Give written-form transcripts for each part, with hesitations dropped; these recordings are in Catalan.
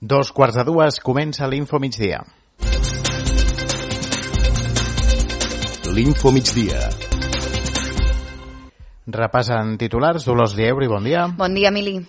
2:45 comença l'Info Migdia. L'Info Migdia. Repassen titulars. Dolors Lieuri, bon dia. Bon dia, Emili.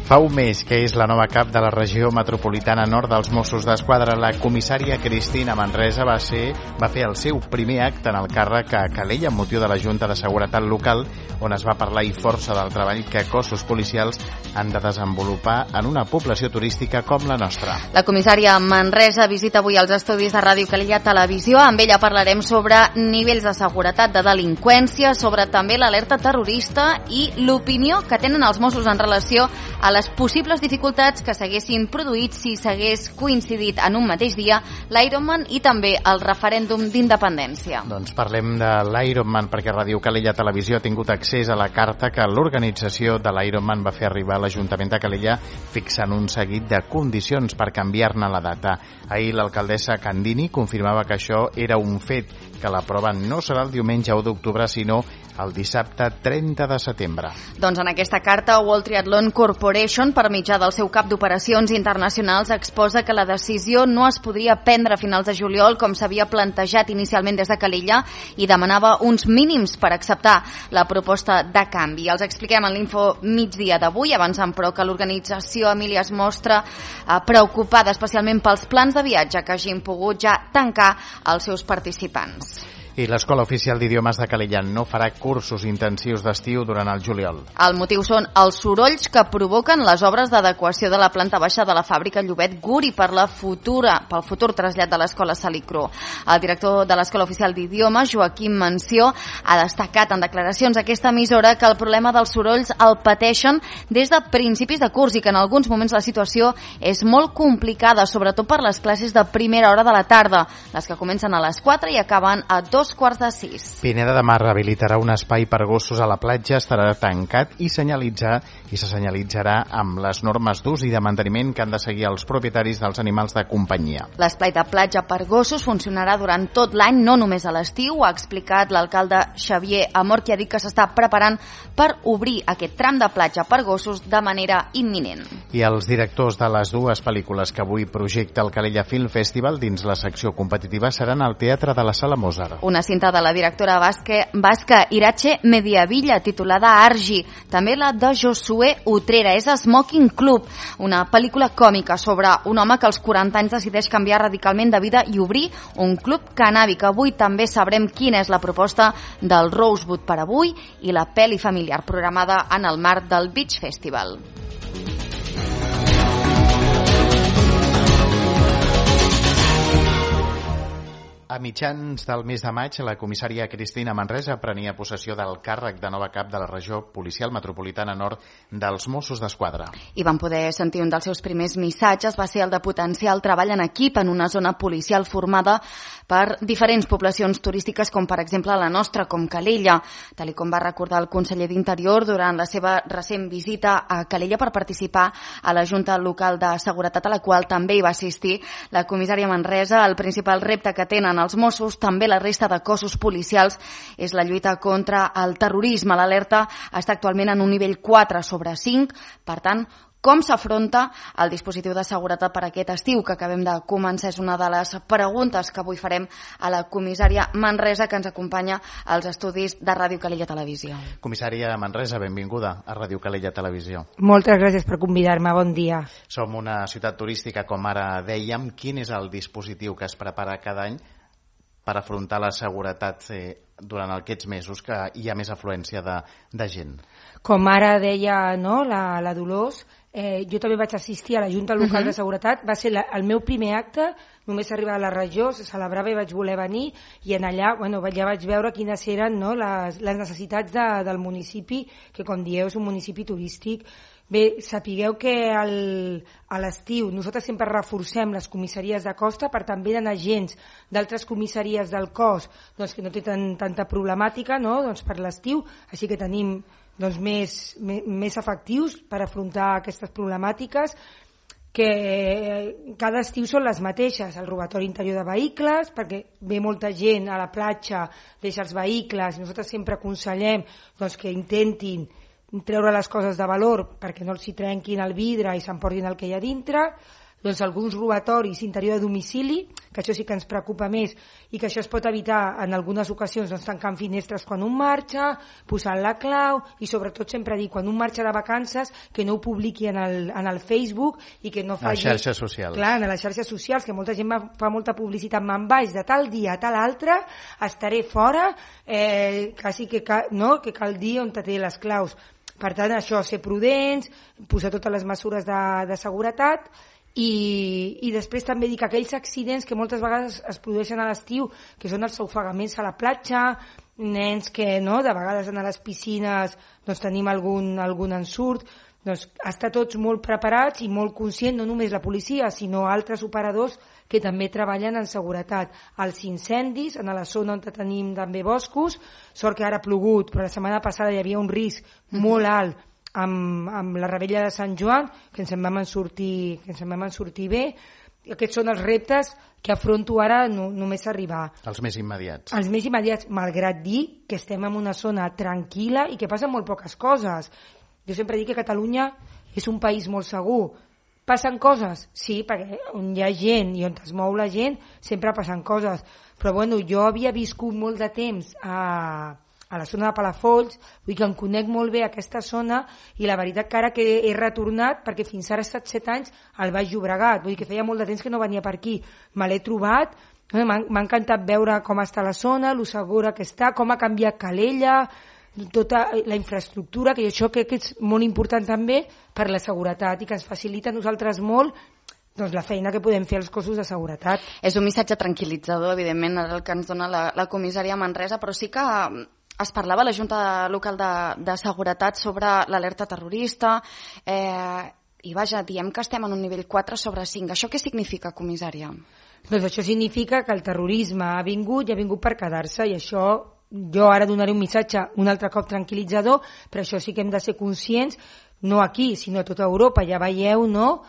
Fa un mes que és la nova cap de la regió metropolitana nord dels Mossos d'Esquadra. La comissària Cristina Manresa va fer el seu primer acte en el càrrec a Calella amb motiu de la Junta de Seguretat Local, on es va parlar i força del treball que cossos policials han de desenvolupar en una població turística com la nostra. La comissària Manresa visita avui els estudis de Ràdio Calella Televisió. Amb ella parlarem sobre nivells de seguretat, de delinqüència, sobre també l'alerta terrorista i l'opinió que tenen els Mossos en relació a les possibles dificultats que s'haguessin produït si s'hagués coincidit en un mateix dia l'Ironman i també el referèndum d'independència. Doncs parlem de l'Ironman perquè Ràdio Calella Televisió ha tingut accés a la carta que l'organització de l'Ironman va fer arribar a l'Ajuntament de Calella fixant un seguit de condicions per canviar-ne la data. Ahir l'alcaldessa Candini confirmava que això era un fet, que la prova no serà el diumenge 1 d'octubre sinó el dissabte 30 de setembre. Doncs en aquesta carta World Triathlon Corporation, per mitjà del seu cap d'operacions internacionals, exposa que la decisió no es podria prendre a finals de juliol com s'havia plantejat inicialment des de Calella i demanava uns mínims per acceptar la proposta de canvi. Els expliquem en l'Info Migdia d'avui, avançant però que l'organització, Emília, es mostra preocupada especialment pels plans de viatge que hagin pogut ja tancar els seus participants. I l'Escola Oficial d'Idiomes de Calella no farà cursos intensius d'estiu durant el juliol. El motiu són els sorolls que provoquen les obres d'adequació de la planta baixa de la fàbrica Llobet Guri pel futur trasllat de l'Escola Salicru. El director de l'Escola Oficial d'Idiomes, Joaquim Mansió, ha destacat en declaracions a aquesta emissora que el problema dels sorolls el pateixen des de principis de curs i que en alguns moments la situació és molt complicada, sobretot per les classes de primera hora de la tarda, les que comencen a les 4 i acaben a 2:45. Pineda de Mar rehabilitarà un espai per gossos a la platja, estarà tancat i se senyalitzarà amb les normes d'ús i de manteniment que han de seguir els propietaris dels animals de companyia. L'espai de platja per gossos funcionarà durant tot l'any, no només a l'estiu, ha explicat l'alcalde Xavier Amor, que ha dit que s'està preparant per obrir aquest tram de platja per gossos de manera imminent. I els directors de les dues pel·lícules que avui projecta el Calella Film Festival dins la secció competitiva seran al Teatre de la Sala Mozart. Una cinta de la directora basca Irache Mediavilla, titulada Argi. També la de Josué Utrera, és Smoking Club, una pel·lícula còmica sobre un home que als 40 anys decideix canviar radicalment de vida i obrir un club cannàbic. Avui també sabrem quina és la proposta del Rosewood per avui i la pel·li familiar programada en el marc del Beach Festival. A mitjans del mes de maig, la comissària Cristina Manresa prenia possessió del càrrec de nova cap de la regió policial metropolitana nord dels Mossos d'Esquadra. I vam poder sentir un dels seus primers missatges, va ser el de potenciar el treball en equip en una zona policial formada per diferents poblacions turístiques, com per exemple la nostra, com Calella, tal com va recordar el conseller d'Interior durant la seva recent visita a Calella per participar a la Junta Local de Seguretat, a la qual també hi va assistir la comissària Manresa. El principal repte que tenen els Mossos, també la resta de cossos policials, és la lluita contra el terrorisme. L'alerta està actualment en un nivell 4/5, per tant, com s'afronta el dispositiu de seguretat per aquest estiu que acabem de començar? És una de les preguntes que avui farem a la comissària Manresa, que ens acompanya als estudis de Ràdio Calella Televisió. Comissària Manresa, benvinguda a Ràdio Calella Televisió. Moltes gràcies per convidar-me, bon dia. Som una ciutat turística, com ara dèiem. Quin és el dispositiu que es prepara cada any per afrontar la seguretat durant aquests mesos que hi ha més afluència de gent? Com ara deia la Dolors, jo també vaig assistir a la Junta Local de Seguretat, va ser el meu primer acte, només arribar a la regió, se celebrava i vaig voler venir, i en allà ja vaig veure quines eren les necessitats del municipi, que com dieu és un municipi turístic. Bé, sapigueu que a l'estiu nosaltres sempre reforcem les comissaries de costa, per també d'anar agents d'altres comissaries del cos que no té tanta problemàtica per l'estiu, així que tenim més efectius per afrontar aquestes problemàtiques. que cada estiu són les mateixes, el robatori interior de vehicles, perquè ve molta gent a la platja, deixa els vehicles, nosaltres sempre aconsellem doncs, que intentin treure les coses de valor perquè no els hi trenquin el vidre i s'emportin el que hi ha dintre, doncs alguns robatoris interior de domicili, que això sí que ens preocupa més i que això es pot evitar en algunes ocasions doncs, tancant finestres quan un marxa, posant la clau i sobretot sempre dir quan un marxa de vacances que no ho publiqui en el Facebook i que no faci... A les xarxes socials. Clar, a les xarxes socials, que molta gent fa molta publicitat, me'n vaig de tal dia a tal altre, estaré fora, quasi que cal dir on té les claus. Per tant, això, ser prudents, posar totes les mesures de seguretat. I després també dic que aquells accidents que moltes vegades es produeixen a l'estiu, que són els ofegaments a la platja, nens que de vegades a les piscines doncs tenim algun ensurt, doncs estar tots molt preparats i molt conscients, no només la policia sinó altres operadors que també treballen en seguretat. Els incendis en la zona on tenim també boscos, sort que ara ha plogut, però la setmana passada hi havia un risc molt alt amb la Revetlla de Sant Joan, que ens en vam sortir bé. Aquests són els reptes que afronto ara només arribar. Els més immediats. Els més immediats, malgrat dir que estem en una zona tranquil·la i que passen molt poques coses. Jo sempre dic que Catalunya és un país molt segur. Passen coses? Sí, perquè on hi ha gent i on es mou la gent sempre passen coses. Però bueno, jo havia viscut molt de temps a la zona de Palafolls, vull que em conec molt bé aquesta zona i la veritat que ara que he retornat, perquè fins ara he estat 7 anys al Baix Llobregat, vull dir que feia molt de temps que no venia per aquí, me l'he trobat, m'ha encantat veure com està la zona, lo segura que està, com ha canviat Calella, tota la infraestructura, que això crec que és molt important també per la seguretat i que ens facilita a nosaltres molt doncs la feina que podem fer als cossos de seguretat. És un missatge tranquil·litzador, evidentment, el que ens dona la comissària Manresa, però sí que es parlava a la Junta Local de Seguretat sobre l'alerta terrorista i vaja, diem que estem en un nivell 4 sobre 5. Això què significa, comissària? Doncs això significa que el terrorisme ha vingut i ha vingut per quedar-se i això jo ara donaré un missatge un altre cop tranquil·litzador, però això sí que hem de ser conscients, no aquí, sinó a tota Europa. Ja veieu, no?,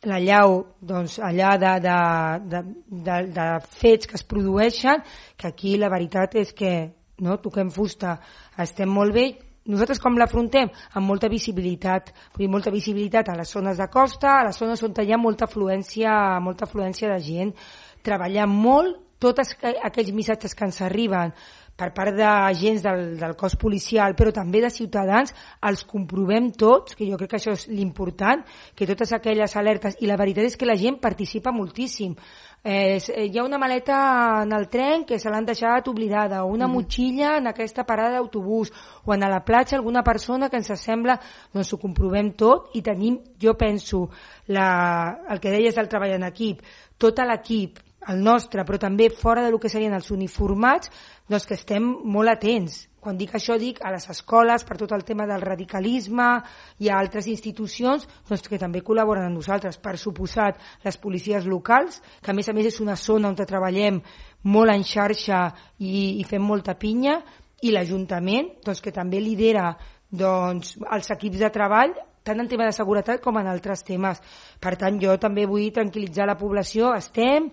l'allau doncs, allà de fets que es produeixen, que aquí la veritat és que toquem fusta, estem molt bé. Nosaltres com l'afrontem? Amb molta visibilitat, vull dir, molta visibilitat a les zones de costa, a les zones on hi ha molta afluència de gent, treballant molt tots aquells missatges que ens arriben per part d'agents del cos policial, però també de ciutadans, els comprovem tots, que jo crec que això és l'important, que totes aquelles alertes, i la veritat és que la gent participa moltíssim. Hi ha una maleta en el tren que se l'han deixat oblidada, o una motxilla en aquesta parada d'autobús, o en la platja alguna persona que ens sembla, doncs ho comprovem tot i tenim, jo penso, el que deies del treball en equip, tot l'equip, el nostre, però també fora del que serien els uniformats, doncs que estem molt atents. Quan dic això dic a les escoles per tot el tema del radicalisme i a altres institucions doncs que també col·laboren amb nosaltres. Per suposat, les policies locals, que a més és una zona on treballem molt en xarxa i fem molta pinya, i l'Ajuntament, doncs, que també lidera doncs, els equips de treball tant en tema de seguretat com en altres temes. Per tant, jo també vull tranquil·litzar la població. Estem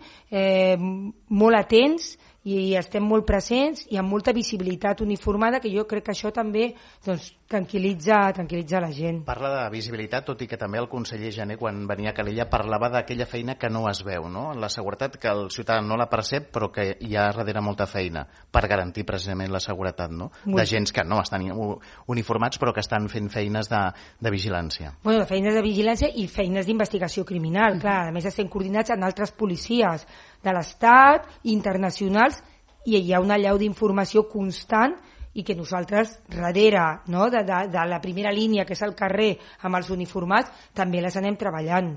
molt atents i estem molt presents i amb molta visibilitat uniformada, que jo crec que això també doncs, tranquil·litza la gent. Parla de visibilitat, tot i que també el conseller Jané, quan venia a Calella, parlava d'aquella feina que no es veu, no? La seguretat que el ciutadà no la percep, però que hi ha darrere molta feina per garantir precisament la seguretat, no? De gens que no estan uniformats, però que estan fent feines de vigilància. Bueno, feines de vigilància i feines d'investigació criminal, clar. A més, estem coordinats amb altres policies de l'Estat, internacionals, i hi ha una allau d'informació constant i que nosaltres, darrere de la primera línia, que és el carrer amb els uniformats, també les anem treballant.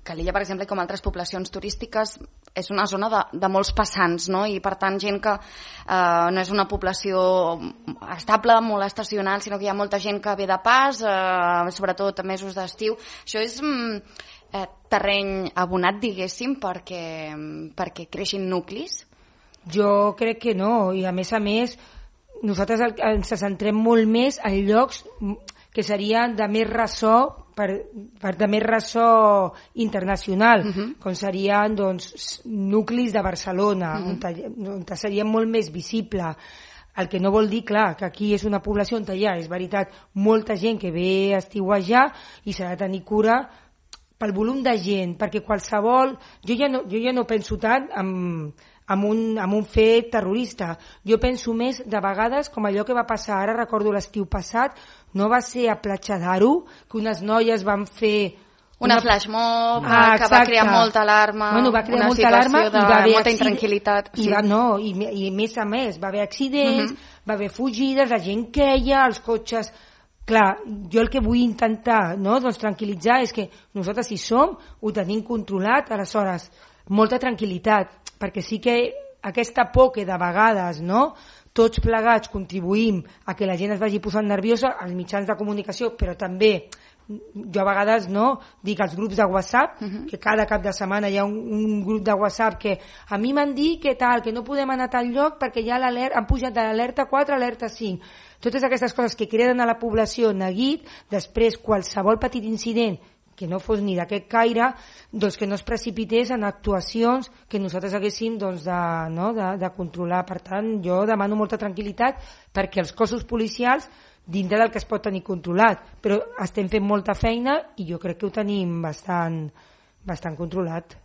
Calella, per exemple, com altres poblacions turístiques, és una zona de molts passants, no? I per tant gent que no és una població estable, molt estacional, sinó que hi ha molta gent que ve de pas, sobretot a mesos d'estiu. Això és terreny abonat, diguéssim, perquè creixin nuclis? Jo crec que no, i a més nosaltres ens centrem molt més en llocs que serien de més ressò per de més ressò internacional, com serien doncs, nuclis de Barcelona, on seria molt més visible. El que no vol dir, clar, que aquí és una població on hi ha, és veritat, molta gent que ve a estiuejar i s'ha de tenir cura pel volum de gent, perquè qualsevol... Jo ja no penso tant en un fet terrorista. Jo penso més, de vegades, com allò que va passar, ara recordo l'estiu passat, no va ser a Platja d'Aro, que unes noies van fer... Una flash mob que va crear molta alarma, va crear una molta alarma situació de molta intranquil·litat. I a més, va haver accidents, va haver fugides, la gent queia, els cotxes... Clar, jo el que vull intentar doncs tranquil·litzar és que nosaltres, si som, ho tenim controlat, aleshores, molta tranquil·litat, perquè sí que aquesta por que de vegades tots plegats contribuïm a que la gent es vagi posant nerviosa, als mitjans de comunicació, però també jo a vegades dic als grups de WhatsApp, que cada cap de setmana hi ha un grup de WhatsApp que a mi m'han dit que no podem anar a tal lloc perquè ja han pujat de l'alerta 4 a l'alerta 5. Totes aquestes coses que creden a la població neguit, després qualsevol petit incident que no fos ni d'aquest caire, doncs que no es precipités en actuacions que nosaltres haguéssim de controlar. Per tant, jo demano molta tranquil·litat perquè els cossos policials, dintre del que es pot tenir controlat, però estem fent molta feina i jo crec que ho tenim bastant controlat.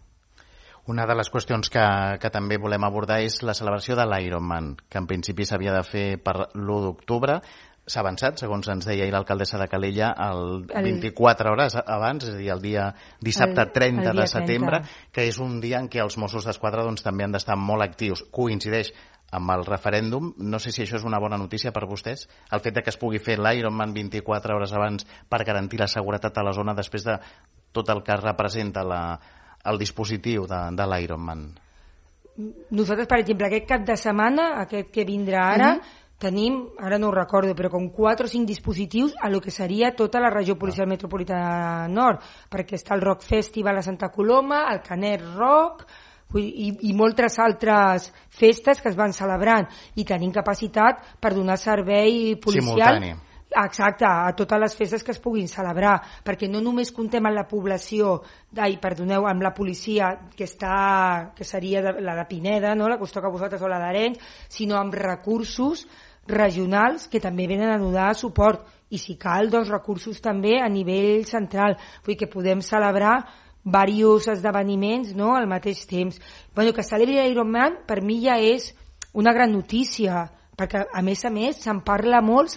Una de les qüestions que també volem abordar és la celebració de l'Ironman, que en principi s'havia de fer per l'1 d'octubre. S'ha avançat, segons ens deia l'alcaldessa de Calella, 24 hores abans, és a dir, el dia dissabte 30 de setembre, que és un dia en què els Mossos d'Esquadra també han d'estar molt actius. Coincideix amb el referèndum. No sé si això és una bona notícia per vostès, el fet de que es pugui fer l'Ironman 24 hores abans per garantir la seguretat a la zona després de tot el que representa el dispositiu de l'Ironman. Nosaltres, per exemple, aquest cap de setmana, aquest que vindrà ara, tenim, ara no ho recordo, però com 4 o 5 dispositius a lo que seria tota la regió policial metropolitana nord, perquè està el Rock Festival a Santa Coloma, el Canet Rock i moltes altres festes que es van celebrant, i tenim capacitat per donar servei policial simultani. Exacte, a totes les festes que es puguin celebrar, perquè no només comptem amb la població, amb la policia que seria la de Pineda, la que us toca a vosaltres, o la d'Arenys, sinó amb recursos regionals que també venen a donar suport, i si cal, doncs recursos també a nivell central, vull dir que podem celebrar diversos esdeveniments al mateix temps. Que celebri l'Ironman per mi ja és una gran notícia, perquè a més se'n parla molt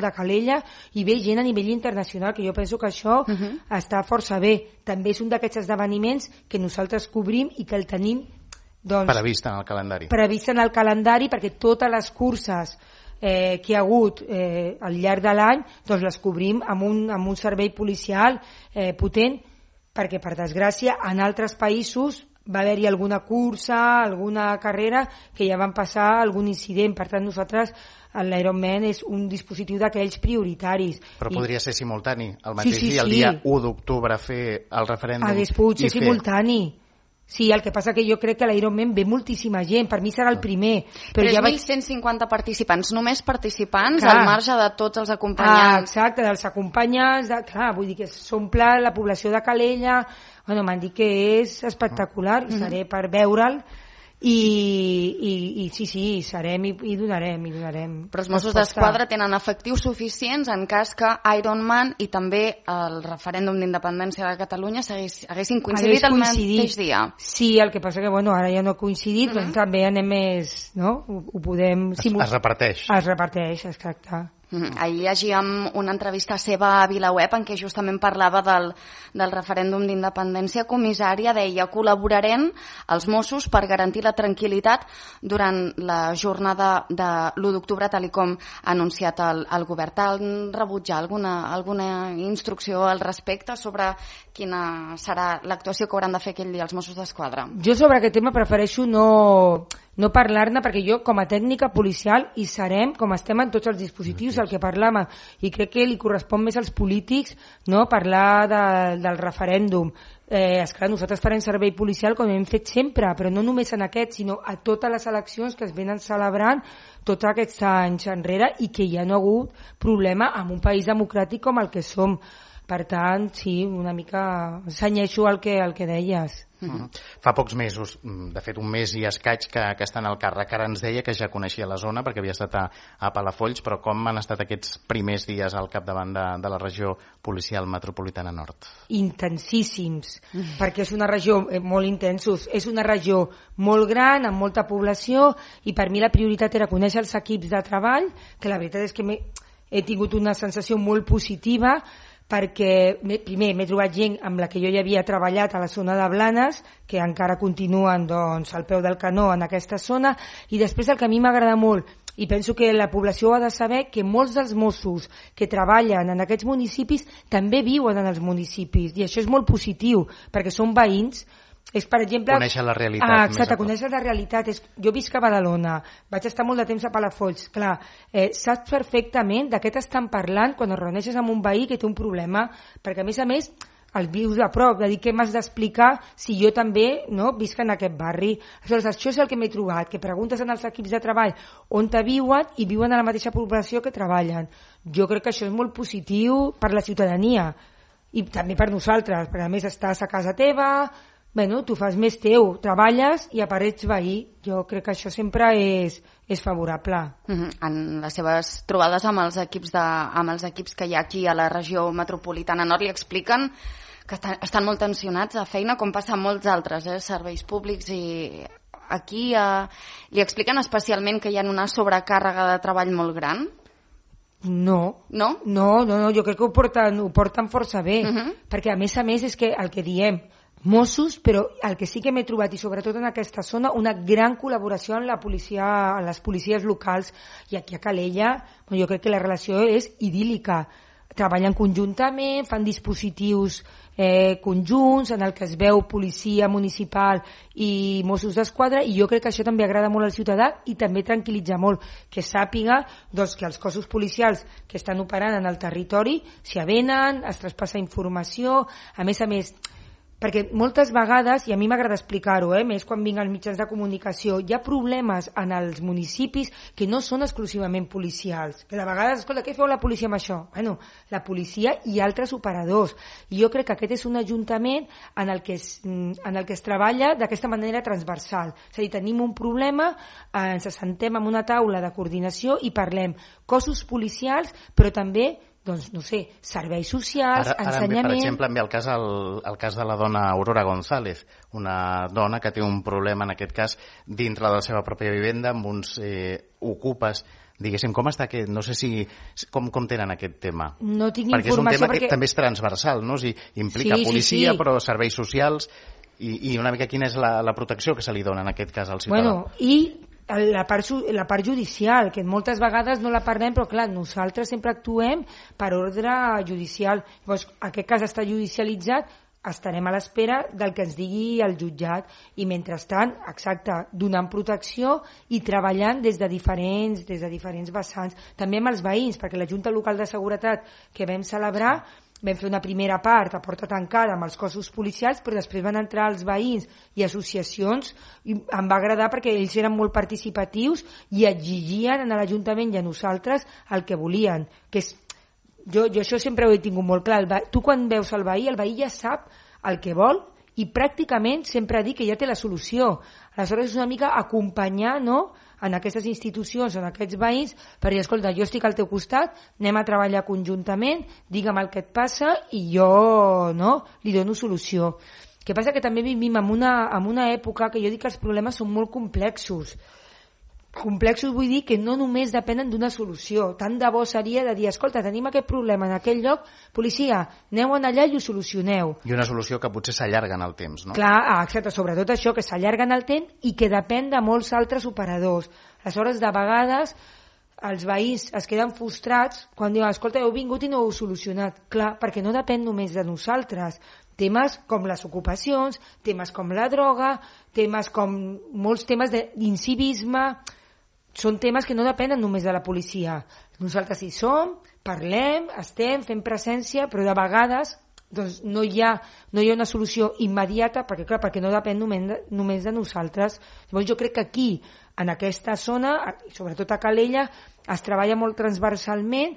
de Calella, i ve gent a nivell internacional, que jo penso que això està força bé. També és un d'aquests esdeveniments que nosaltres cobrim i que el tenim previst en el calendari. Previst en el calendari, perquè totes les curses que hi ha hagut al llarg de l'any doncs les cobrim amb un servei policial potent, perquè per desgràcia en altres països va haver-hi alguna cursa, alguna carrera que ja van passar algun incident. Per tant, nosaltres, l'Ironman és un dispositiu d'aquells prioritaris. Però podria ser simultani, el mateix dia, el dia 1 d'octubre, fer el referèndum. Hagués pogut ser simultani. Sí, el que passa que jo crec que a l'Ironman ve moltíssima gent, per mi serà el primer. Però ja 1.150 participants, només participants, al marge de tots els acompanyants. Exacte, dels acompanyants, vull dir que s'omple la població de Calella. M'han dit que és espectacular, i seré per veure'l, i sí, serem i donarem. Però els Mossos d'Esquadra tenen efectius suficients en cas que Ironman i també el referèndum d'independència de Catalunya haguessin coincidit el mateix dia. Sí, el que passa que ara ja no ha coincidit, però també anem més, ho podem... Es reparteix. Es reparteix, exacte. Ahir llegíem una entrevista seva a VilaWeb en què justament parlava del referèndum d'independència. Comissària deia: col·laborarem els Mossos per garantir la tranquil·litat durant la jornada de l'1 d'octubre, tal com ha anunciat el govern. T'han rebutjat alguna instrucció al respecte sobre quina serà l'actuació que hauran de fer aquell dia els Mossos d'Esquadra? Jo sobre aquest tema prefereixo no parlar-ne, perquè jo com a tècnica policial hi serem, com estem en tots els dispositius, el que parlàvem, i crec que li correspon més als polítics parlar del referèndum. Esclar, nosaltres farem servei policial com hem fet sempre, però no només en aquest, sinó a totes les eleccions que es venen celebrant tots aquests anys enrere i que hi ha no hagut problema en un país democràtic com el que som. Per tant, sí, una mica senyeixo el que deies. Fa pocs mesos, de fet un mes i escaig que està en el càrrec. Ara ens deia que ja coneixia la zona perquè havia estat a Palafolls, però com han estat aquests primers dies al capdavant de la regió policial metropolitana nord? Intensíssims, perquè és una regió molt intensos, és una regió molt gran, amb molta població, i per mi la prioritat era conèixer els equips de treball, que la veritat és que he tingut una sensació molt positiva, perquè primer m'he trobat gent amb la que jo ja havia treballat a la zona de Blanes, que encara continuen doncs, al peu del canó en aquesta zona, i després el que a mi m'agrada molt, i penso que la població ha de saber que molts dels Mossos que treballen en aquests municipis també viuen en els municipis, i això és molt positiu, perquè són veïns. És, per exemple, conèixer la realitat. Exacte, conèixer la realitat. Jo visc a Badalona, vaig estar molt de temps a Palafolls. Clar, saps perfectament de què t'estan parlant quan es reuneixes amb un veí que té un problema, perquè a més el vius a prop, de dir què m'has d'explicar si jo també visc en aquest barri. Aleshores, això és el que m'he trobat, que preguntes en els equips de treball on viuen i viuen a la mateixa població que treballen. Jo crec que això és molt positiu per la ciutadania i també per nosaltres, perquè a més estàs a casa teva, tu fas més teu, treballes i apareix veí. Jo crec que això sempre és favorable. En les seves trobades amb els equips que hi ha aquí a la regió metropolitana nord li expliquen que estan molt tensionats a feina, com passa a molts altres serveis públics, i aquí li expliquen especialment que hi ha una sobrecàrrega de treball molt gran? No, jo crec que ho porten força bé, perquè a més és que el que diem, Mossos, però el que sí que m'he trobat, i sobretot en aquesta zona, una gran col·laboració amb les policies locals, i aquí a Calella jo crec que la relació és idíl·lica. Treballen conjuntament, fan dispositius conjunts en el que es veu policia municipal i Mossos d'Esquadra, i jo crec que això també agrada molt al ciutadà i també tranquil·litza molt, que sàpiga que els cossos policials que estan operant en el territori s'hi avenen, es traspassa informació, a més, perquè moltes vegades, i a mi m'agrada explicar-ho, més quan vinc als mitjans de comunicació, hi ha problemes en els municipis que no són exclusivament policials. Que de vegades, escolta, què feu la policia amb això? Bueno, la policia i altres operadors. I jo crec que aquest és un ajuntament en el que es treballa d'aquesta manera transversal. És a dir, tenim un problema, ens assentem en una taula de coordinació i parlem cossos policials, però també serveis socials, ensenyament... Per exemple, em ve el cas de la dona Aurora González, una dona que té un problema, en aquest cas, dintre de la seva pròpia vivenda, amb uns ocupes. Diguéssim, com està aquest? No sé com tenen aquest tema. No tinc perquè informació, és un tema que també és transversal, no? Implica policia, però serveis socials, i una mica quina és la protecció que se li dona, en aquest cas, al ciutadà. I la part judicial, que moltes vegades no la parlem, però clar, nosaltres sempre actuem per ordre judicial. Llavors, aquest cas està judicialitzat, estarem a l'espera del que ens digui el jutjat, i mentrestant, exacte, donant protecció i treballant des de diferents vessants, també amb els veïns, perquè la Junta Local de Seguretat que vam celebrar, vam fer una primera part a porta tancada amb els cossos policials, però després van entrar els veïns i associacions, i em va agradar perquè ells eren molt participatius i exigien a l'Ajuntament i a nosaltres el que volien, que és... Jo això sempre ho he tingut molt clar. Tu quan veus el veí ja sap el que vol i pràcticament sempre dic que ja té la solució. Aleshores és una mica acompanyar, en aquestes institucions, en aquests veïns, per dir, escolta, jo estic al teu costat, anem a treballar conjuntament, digue'm el que et passa i jo li dono solució. El que passa que també vivim en una època que jo dic que els problemes són molt complexos. Complexos vull dir que no només depenen d'una solució. Tant de bo seria de dir, escolta, tenim aquest problema en aquell lloc, policia, aneu allà i ho solucioneu. I una solució que potser s'allarga en el temps, no? Clar, exacte, sobretot això, que s'allarga en el temps i que depèn de molts altres operadors. Aleshores, de vegades, els veïns es queden frustrats quan diuen, escolta, heu vingut i no ho heu solucionat. Clar, perquè no depèn només de nosaltres. Temes com les ocupacions, temes com la droga, molts temes d'incivisme, són temes que no depenen només de la policia. Nosaltres hi som, parlem, fem presència, però de vegades no hi ha una solució immediata, perquè no depèn només de nosaltres. Llavors jo crec que aquí, en aquesta zona, sobretot a Calella, es treballa molt transversalment,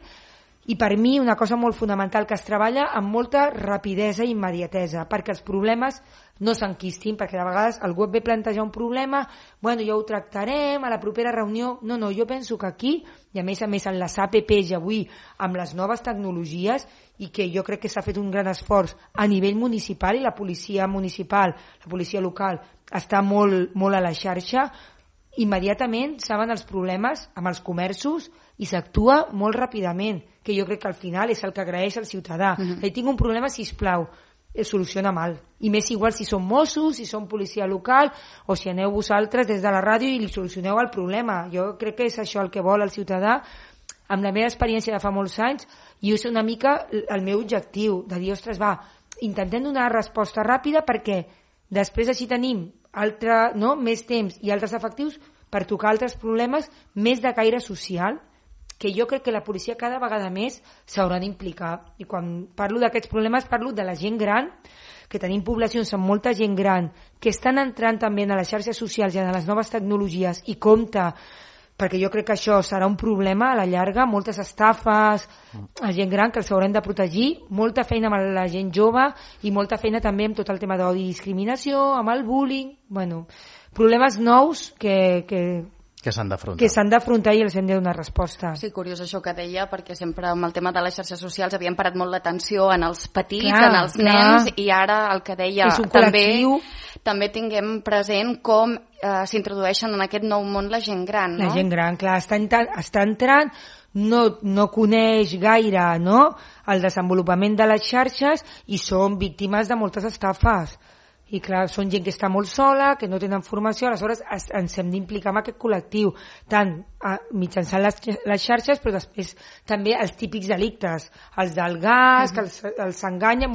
I per mi una cosa molt fonamental que es treballa amb molta rapidesa i immediatesa, perquè els problemes no s'enquistin, perquè de vegades algú et ve plantejar un problema, bueno, ja ho tractarem, a la propera reunió... No, jo penso que aquí, i a més en les APPs i avui amb les noves tecnologies, i que jo crec que s'ha fet un gran esforç a nivell municipal, i la policia municipal, la policia local, està molt a la xarxa, immediatament saben els problemes amb els comerços i s'actua molt ràpidament, que jo crec que al final és el que agraeix al ciutadà. Tinc un problema, sisplau, soluciona mal. I més igual si són Mossos, si són policia local, o si aneu vosaltres des de la ràdio i li solucioneu el problema. Jo crec que és això el que vol el ciutadà. Amb la meva experiència de fa molts anys, i és una mica el meu objectiu, de dir, ostres, intentem donar resposta ràpida perquè després així tenim més temps i altres efectius per tocar altres problemes més de caire social, que jo crec que la policia cada vegada més s'haurà d'implicar. I quan parlo d'aquests problemes parlo de la gent gran, que tenim poblacions amb molta gent gran, que estan entrant també a les xarxes socials i a les noves tecnologies, i compte, perquè jo crec que això serà un problema a la llarga, moltes estafes a gent gran que els haurem de protegir, molta feina amb la gent jove i molta feina també amb tot el tema d'odi i discriminació, amb el bullying, problemes nous que s'han d'afrontar i els hem de donar resposta. Sí, curiós això que deia, perquè sempre amb el tema de les xarxes socials havíem parat molt l'atenció en els petits, en els nens, i ara el que deia també tinguem present com s'introdueixen en aquest nou món la gent gran, no? La gent gran, clar, està entrant, no coneix gaire el desenvolupament de les xarxes i són víctimes de moltes estafes. I clar, són gent que està molt sola, que no tenen formació, aleshores ens hem d'implicar en aquest col·lectiu, tant mitjançant les xarxes, però després també els típics delictes, els del gas, que els enganyen,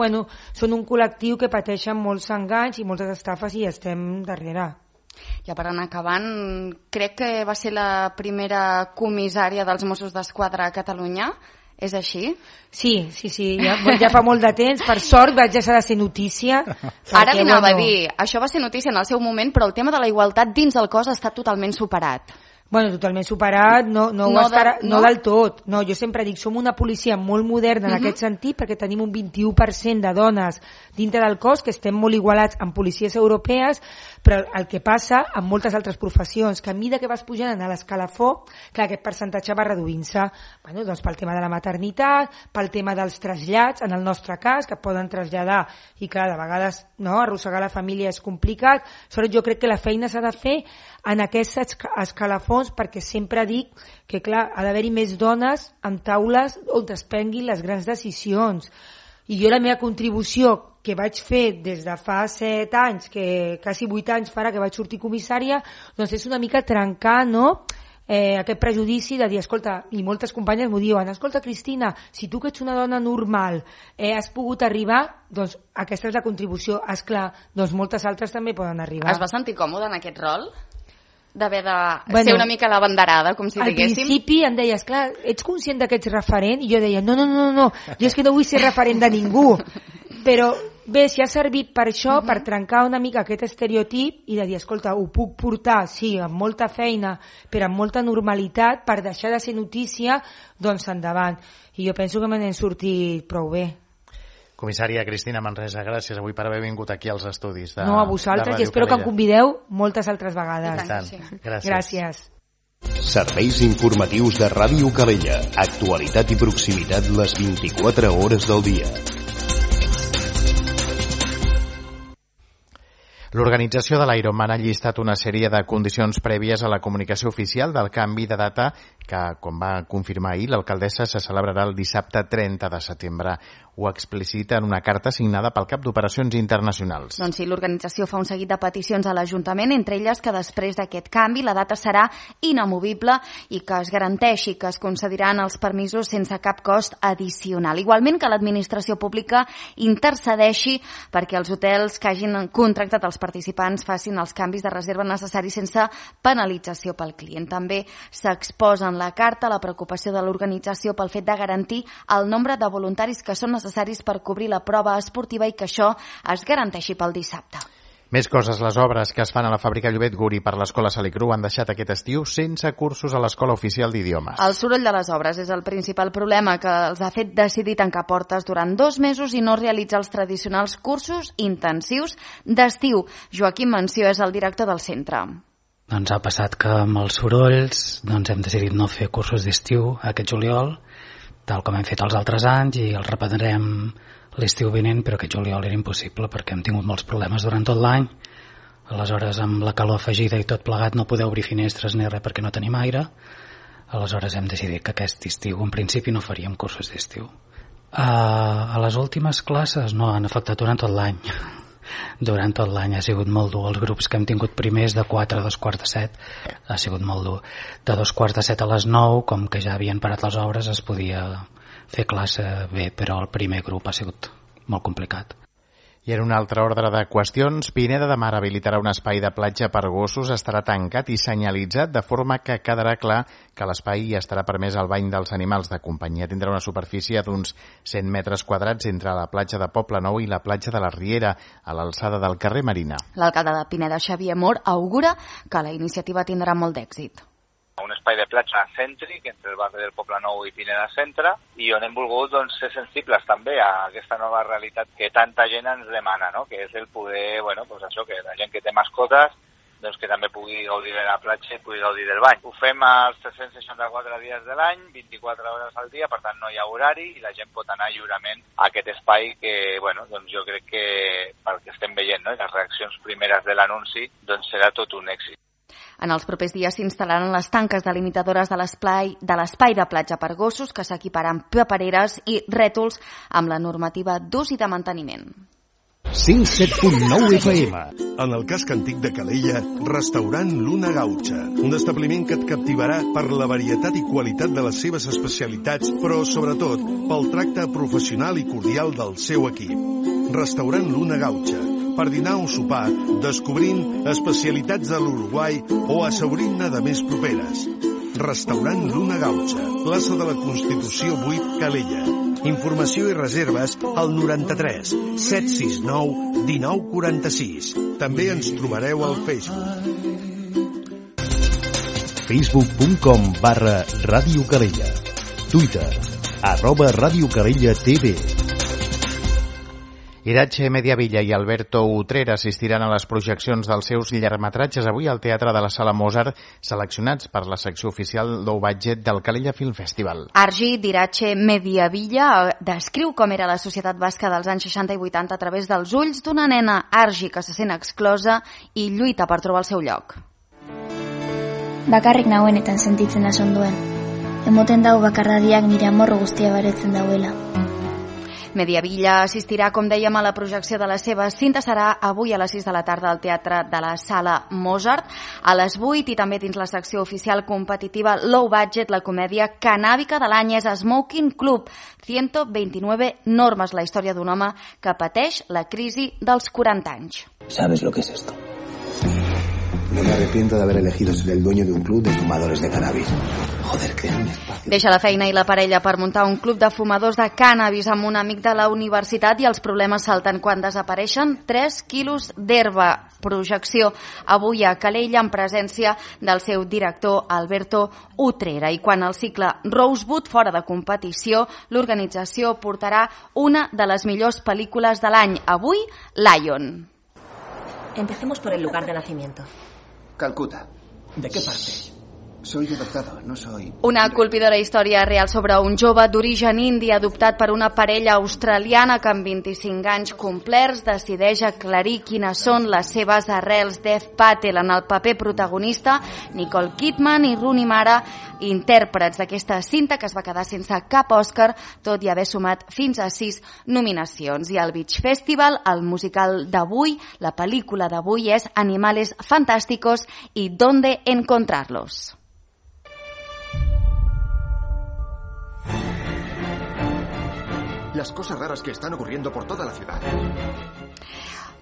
són un col·lectiu que pateixen molts enganys i moltes estafes i estem darrere. Ja per anar acabant, crec que va ser la primera comissària dels Mossos d'Esquadra a Catalunya. És així? Sí, ja fa molt de temps. Per sort vaig deixar de ser notícia. Ara li anava a dir, això va ser notícia en el seu moment, però el tema de la igualtat dins el cos ha estat totalment superat. Totalment superat, no del tot. No, jo sempre dic, som una policia molt moderna en aquest sentit, perquè tenim un 21% de dones dintre del cos, que estem molt igualats amb policies europees, però el que passa amb moltes altres professions, que a mesura que vas pujant a l'escalafó, clar, aquest percentatge va reduint-se, doncs pel tema de la maternitat, pel tema dels trasllats, en el nostre cas, que poden traslladar, i clar, de vegades arrossegar la família és complicat. Sobretot jo crec que la feina s'ha de fer en aquests escalafons, perquè sempre dic que clar, ha d'haver-hi més dones en taules on es prenguin les grans decisions. I jo la meva contribució que vaig fer des de fa 7 anys, que quasi 8 anys farà que vaig sortir comissària, doncs és una mica trencar aquest prejudici de dir, escolta, i moltes companyes m'ho diuen, escolta Cristina, si tu que ets una dona normal has pogut arribar, doncs aquesta és la contribució. Esclar, doncs moltes altres també poden arribar. Es va sentir còmode en aquest rol? D'haver de ser una mica la banderada, com si diguéssim? Al principi em deies, clar, ets conscient que ets referent? I jo deia, no, jo és que no vull ser referent de ningú. Però bé, si ha servit per això, per trencar una mica aquest estereotip i de dir, escolta, ho puc portar, sí, amb molta feina, però amb molta normalitat, per deixar de ser notícia, doncs endavant. I jo penso que me n'hem sortit prou bé. Comissària Cristina Manresa, gràcies avui per haver vingut aquí als estudis de a vosaltres, i espero que em convideu moltes altres vegades. I tant. Sí. Gràcies. Serveis informatius de Ràdio Calella. Actualitat i proximitat les 24 hores del dia. L'organització de l'Ironman ha llistat una sèrie de condicions prèvies a la comunicació oficial del canvi de data que, com va confirmar ahir, l'alcaldessa se celebrarà el dissabte 30 de setembre. Ho explicita en una carta signada pel cap d'Operacions Internacionals. Doncs sí, l'organització fa un seguit de peticions a l'Ajuntament, entre elles que després d'aquest canvi la data serà inamovible i que es garanteixi que es concediran els permisos sense cap cost addicional. Igualment que l'administració pública intercedeixi perquè els hotels que hagin contractat els participants facin els canvis de reserva necessaris sense penalització pel client. També s'exposa en la carta la preocupació de l'organització pel fet de garantir el nombre de voluntaris que són necessaris per cobrir la prova esportiva i que això es garanteixi pel dissabte. Més coses. Les obres que es fan a la fàbrica Llobet Guri per l'Escola Salicru han deixat aquest estiu sense cursos a l'Escola Oficial d'Idiomes. El soroll de les obres és el principal problema que els ha fet decidir tancar portes durant 2 mesos i no realitzar els tradicionals cursos intensius d'estiu. Joaquim Mansió és el director del centre. Doncs ha passat que amb els sorolls hem decidit no fer cursos d'estiu aquest juliol, tal com hem fet els altres anys, i els reprendrem l'estiu vinent, però aquest juliol era impossible perquè hem tingut molts problemes durant tot l'any. Aleshores, amb la calor afegida i tot plegat, no podeu obrir finestres ni res perquè no tenim aire. Aleshores hem decidit que aquest estiu, en principi, no faríem cursos d'estiu. A les últimes classes no, han afectat durant tot l'any. Durant tot l'any ha sigut molt dur. Els grups que hem tingut primers de 4 a 2:45 ha sigut molt dur. De 2:45 a les 9, com que ja havien parat les obres, es podia fer classe bé, però el primer grup ha sigut molt complicat. I en un altre ordre de qüestions, Pineda de Mar habilitarà un espai de platja per gossos, estarà tancat i senyalitzat de forma que quedarà clar que l'espai estarà permès al bany dels animals de companyia. Tindrà una superfície d'uns 100 metres quadrats entre la platja de Poble Nou i la platja de la Riera, a l'alçada del carrer Marina. L'alcalde de Pineda, Xavier Mor, augura que la iniciativa tindrà molt d'èxit. Un espai de platja cèntric entre el barri del Poble Nou i Pineda Centre, i on hem volgut ser sensibles també a aquesta nova realitat que tanta gent ens demana, no? Que és el poder, això, que la gent que té mascotes que també pugui gaudir de la platja i pugui gaudir del bany. Ho fem els 364 dies de l'any, 24 hores al dia, per tant no hi ha horari i la gent pot anar lliurement a aquest espai que, jo crec que pel que estem veient, no? Les reaccions primeres de l'anunci, serà tot un èxit. En els propers dies s'instal·laran les tanques delimitadores de l'espai de platja per gossos, que s'equiparan papereres i rètols amb la normativa d'ús i de manteniment. 107.9 FM. En el casc antic de Calella, restaurant Luna Gaucha, un establiment que et captivarà per la varietat i qualitat de les seves especialitats, però sobretot pel tracte professional i cordial del seu equip. Restaurant Luna Gaucha, per dinar o sopar, descobrint especialitats de l'Uruguai o assaborint-ne de més properes. Restaurant Luna Gaucha, plaça de la Constitució 8, Calella. Informació i reserves al 93 769 1946. També ens trobareu al Facebook. Facebook.com/Ràdio Calella. Twitter @Ràdio Calella TV. Irache Mediavilla i Alberto Utrera assistiran a les projeccions dels seus llargmetratges avui al Teatre de la Sala Mozart, seleccionats per la secció oficial low budget del Calella Film Festival. Argi d'Irache Mediavilla descriu com era la societat basca dels anys 60 i 80 a través dels ulls d'una nena, Argi, que se sent exclosa i lluita per trobar el seu lloc. Bakarrik nagoenetan sentitzen da sonduen. Emoten dau bakarradiak nire amorro guztia baretzen dauela. Mediavilla assistirà, com dèiem, a la projecció de la seva cinta. Serà avui a les 6 de la tarda al Teatre de la Sala Mozart. A les 8 i també dins la secció oficial competitiva Low Budget, la comèdia canàbica de l'any és Smoking Club. 129 normes, la història d'un home que pateix la crisi dels 40 anys. ¿Sabes lo que es esto? No me arrepiento de haber elegido ser el dueño de un club de fumadores de cannabis. Joder, que un espacio. Deixa la feina i la parella per muntar un club de fumadors de cànnabis amb un amic de la universitat i els problemes salten quan desapareixen 3 quilos d'herba. Projecció avui a Calella en presència del seu director Alberto Utrera. I quan el cicle Rosebud fora de competició, l'organització portarà una de les millors pel·lícules de l'any. Avui, Lion. Empecemos por el lugar de nacimiento. Calcuta. ¿De qué parte? Soy adoptado, no soy... Una colpidora història real sobre un jove d'origen indi adoptat per una parella australiana que amb 25 anys complerts decideix aclarir quines són les seves arrels. Dev Patel en el paper protagonista, Nicole Kidman i Rooney Mara, intèrprets d'aquesta cinta que es va quedar sense cap Òscar, tot i haver sumat fins a 6 nominacions. I al Beach Festival, el musical d'avui, la pel·lícula d'avui és Animales Fantásticos i ¿Dónde encontrarlos? Las cosas raras que están ocurriendo por toda la ciudad.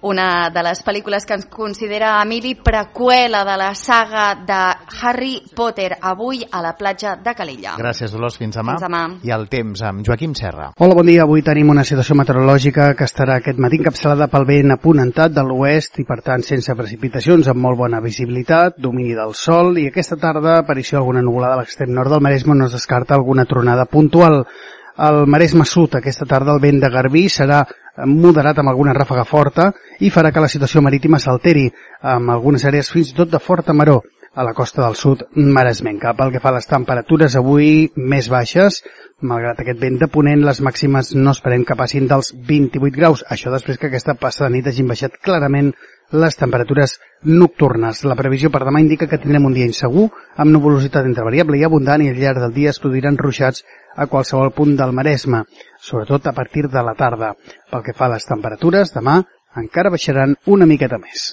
una de les pel·lícules que ens considera Emili preqüela de la saga de Harry Potter, avui a la platja de Calella. Gràcies, Dolors. Fins demà. Fins demà. I el temps amb Joaquim Serra. Hola, bon dia. Avui tenim una situació meteorològica que estarà aquest matí encapçalada pel vent aponentat de l'oest i, per tant, sense precipitacions, amb molt bona visibilitat, domini del sol, i aquesta tarda aparició alguna nuvolada a l'extrem nord del Maresme, on no es descarta alguna tronada puntual. Al Maresme Sud, aquesta tarda, el vent de Garbí serà moderat amb alguna ràfaga forta i farà que la situació marítima s'alteri, amb algunes àrees fins i tot de forta maror a la costa del sud maresmenca. Pel que fa a les temperatures, avui més baixes, malgrat aquest vent de ponent, les màximes no esperem que passin dels 28 graus. Això després que aquesta passada nit hagin baixat clarament les temperatures nocturnes. La previsió per demà indica que tindrem un dia insegur, amb nuvolositat entre variable i abundant, i al llarg del dia es produiran ruixats a qualsevol punt del Maresme, sobretot a partir de la tarda. Pel que fa a les temperatures, demà encara baixaran una miqueta més.